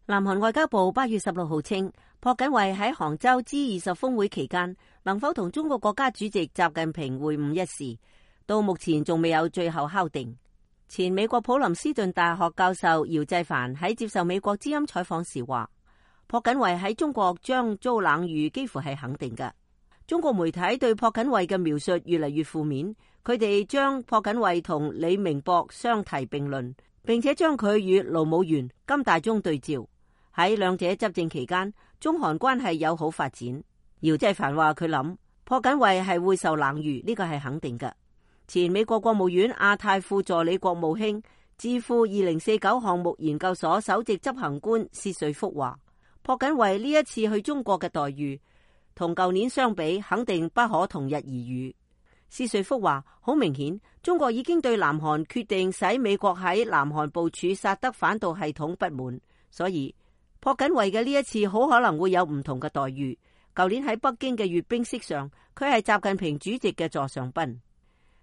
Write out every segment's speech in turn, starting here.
南韓外交部8月16號稱，朴槿惠喺杭州 G20 峰會期間能否同中國國家主席習近平會晤一事，到目前仲未有最後敲定。前美國普林斯頓大學教授姚濟凡喺接受美國之音採訪時話，朴槿惠喺中國將遭冷遇幾乎係肯定嘅。中國媒體對朴槿惠嘅描述越嚟越負面，佢哋將朴槿惠同李明博相提並論，並且將佢與盧武鉉、金大中對照。喺兩者執政期間，中韓關係友好發展。姚濟凡話佢諗朴槿惠係會受冷遇，呢個係肯定嘅。前美國國務院亞太副助理國務卿、智庫2049項目研究所首席執行官薛瑞福話，朴槿惠呢一次去中國嘅待遇同舊年相比，肯定不可同日而語。薛瑞福話，好明顯，中國已經對南韓決定使美國喺南韓部署薩德反導系統不滿，所以朴槿惠嘅呢一次好可能會有唔同嘅待遇。舊年喺北京嘅閱兵式上，佢係習近平主席嘅座上賓。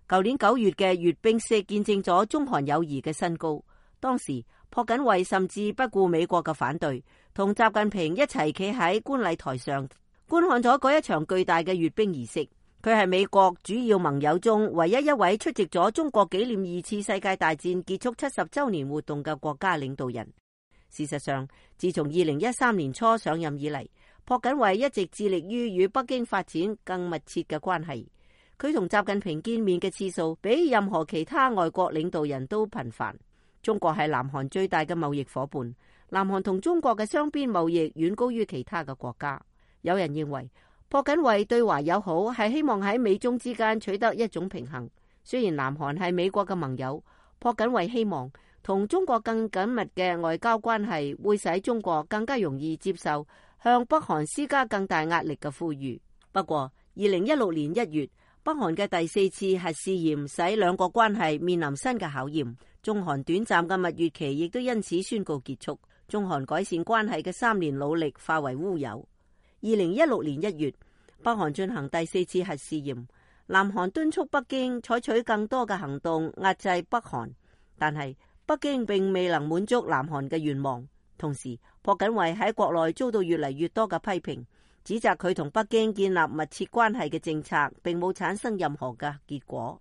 舊年9月嘅閱兵式見證咗中韓友誼嘅新高。當時朴槿惠甚至不顧美國嘅反對，同習近平一齊企喺觀禮台上觀看咗嗰一場巨大嘅閱兵儀式。佢係美國主要盟友中唯一一位出席咗中國紀念2次世界大戰結束70週年活動嘅國家領導人。事實上，自從2013年初上任以嚟，朴槿惠一直致力於與北京發展更密切嘅關係。佢同習近平見面嘅次數比任何其他外國領導人都頻繁。中國係南韓最大嘅貿易夥伴，南韓同中國嘅雙邊貿易遠高於其他嘅國家。有人認為朴槿惠對華友好係希望喺美中之間取得一種平衡。雖然南韓係美國嘅盟友，朴槿惠希望同中國更緊密嘅外交關係會使中國更加容易接受向北韓施加更大壓力嘅呼籲。不過2016年1月，北韓嘅第4次核試驗使兩國關係面臨新嘅考驗，中韓短暫嘅蜜月期亦都因此宣告結束，中韓改善關係嘅3年努力化為烏有。2016年1月，北韓進行第4次核試驗，南韓敦促北京採取更多嘅行動壓制北韓，但係北京並未能滿足南韓嘅願望。同時，朴槿惠喺國內遭到越嚟越多嘅批評，指責佢同北京建立密切關係嘅政策並冇產生任何嘅結果。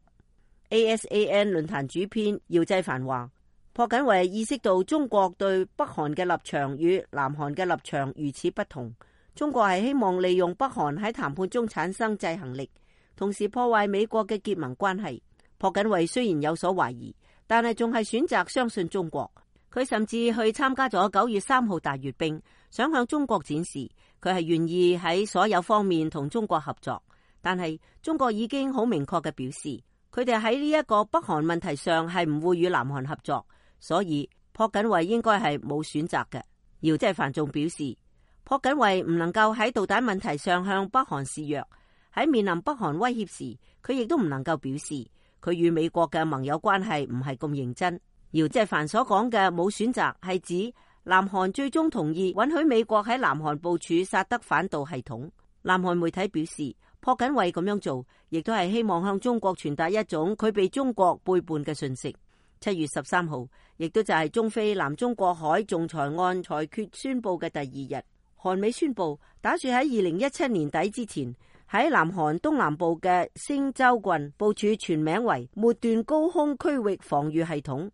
ASAN 論壇主編姚濟凡話，朴槿惠意識到中國對北韓嘅立場與南韓嘅立場如此不同，中國係希望利用北韓喺談判中產生制衡力，同時破壞美國嘅結盟關係。朴槿惠雖然有所懷疑，但係仲係選擇相信中國。佢甚至去參加咗9月3號大閱兵，想向中國展示佢係願意喺所有方面同中國合作。但係中國已經好明確嘅表示，佢哋喺呢一個北韓問題上係唔會與南韓合作，所以朴槿惠應該係冇選擇嘅。姚濟凡仲表示，朴槿惠唔能夠喺導彈問題上向北韓示弱，喺面臨北韓威脅時，佢亦都唔能夠表示佢與美國嘅盟友關係唔係咁認真。姚濟凡所講嘅冇選擇係指南韓最終同意允許美國喺南韓部署薩德反導系統。南韓媒體表示，朴槿惠咁樣做亦都係希望向中國傳達一種佢被中國背叛嘅訊息。7月13號亦都就係中非南中國海仲裁案裁決宣布嘅第2日，韓美宣布打算喺2017年底之前喺南韓東南部嘅星洲郡部署全名為末段高空區域防禦系統，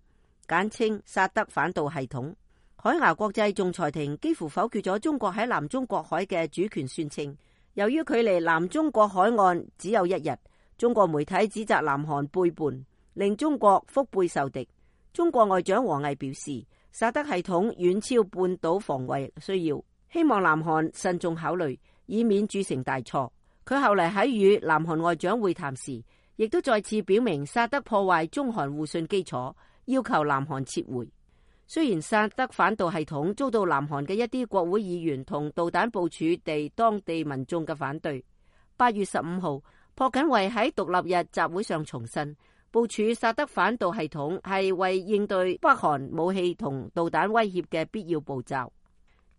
簡稱薩德反導系統。海牙國際仲裁庭幾乎否決咗中國喺南中國海嘅主權宣稱。由於距離南中國海岸只有1日，中國媒體指責南韓背叛，令中國腹背受敵。中國外長王毅表示，薩德系統遠超半島防衛需要，希望南韓慎重考慮，以免鑄成大錯。佢後嚟喺與南韓外長會談時，亦都再次表明薩德破壞中韓互信基礎，要求南韓撤回。雖然薩德反導系統遭到南韓嘅一啲國會議員同導彈部署地當地民眾嘅反對，8月15號，朴槿惠喺獨立日集會上重申，部署薩德反導系統係為應對北韓武器同導彈威脅嘅必要步驟。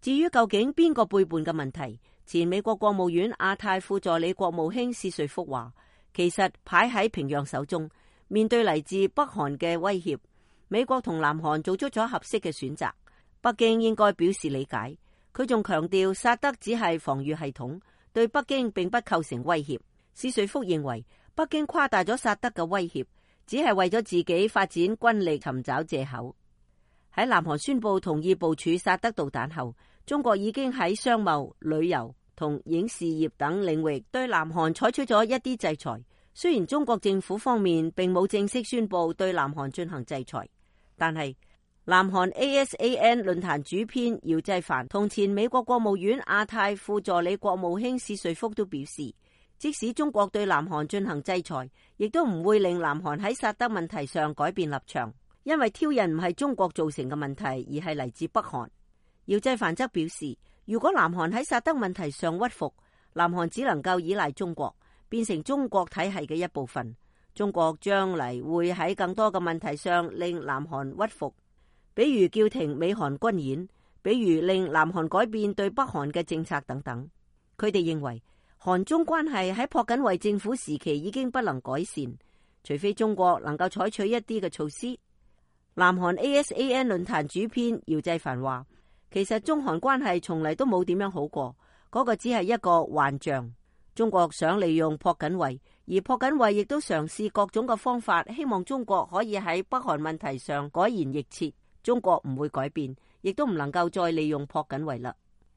至於究竟邊個背叛嘅問題，前美國國務院亞太副助理國務卿薛瑞福話，其實牌喺平壤手中，面對嚟自北韓嘅威脅，美國同南韓做出咗合適嘅選擇。北京應該表示理解。佢仲強調薩德只係防禦系統，對北京並不構成威脅。史瑞福認為北京誇大咗薩德嘅威脅，只係為咗自己發展軍力尋找藉口。喺南韓宣布同意部署薩德導彈後，中國已經喺商貿、旅遊同影視業等領域對南韓採取咗一啲制裁。雖然中國政府方面並冇正式宣布對南韓進行制裁，但係南韓 ASAN 論壇主編姚濟凡同前美國國務院亞太副助理國務卿史瑞福都表示，即使中國對南韓進行制裁，亦都唔會令南韓喺薩德問題上改變立場，因為挑釁唔係中國造成嘅問題，而係嚟自北韓。姚濟凡則表示，如果南韓喺薩德問題上屈服，南韓只能夠依賴中國，變成中國體系嘅一部分。中國將嚟會喺更多嘅問題上令南韓屈服，比如叫停美韓軍演，比如令南韓改變對北韓嘅政策等等。佢哋認為韓中關係喺朴槿惠政府時期已經不能改善，除非中國能夠採取一啲嘅措施。南韓 ASAN 論壇主編姚濟凡話，其實中韓關係從嚟都冇點樣好過，嗰個只係一個幻象。中國想利用朴槿惠，而朴槿惠亦都嘗試各種嘅方法，希望中國可以喺北韓問題上改弦易轍。中國唔會改變，亦都唔能夠再利用朴槿惠啦。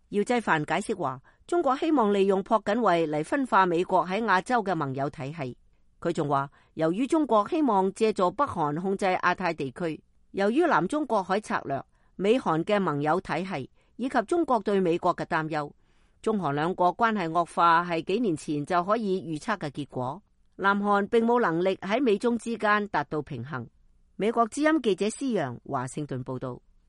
姚濟凡解釋話，中國希望利用朴槿惠嚟分化美國喺亞洲嘅盟友體系。佢仲話，由於中國希望借助北韓控制亞太地區，由於南中國海策略、美韓嘅盟友體系以及中國對美國嘅擔憂，中韓兩國關係惡化係幾年前就可以預測嘅結果。南韓並冇能力喺美中之間達到平衡。美國之音記者施洋華盛頓報道。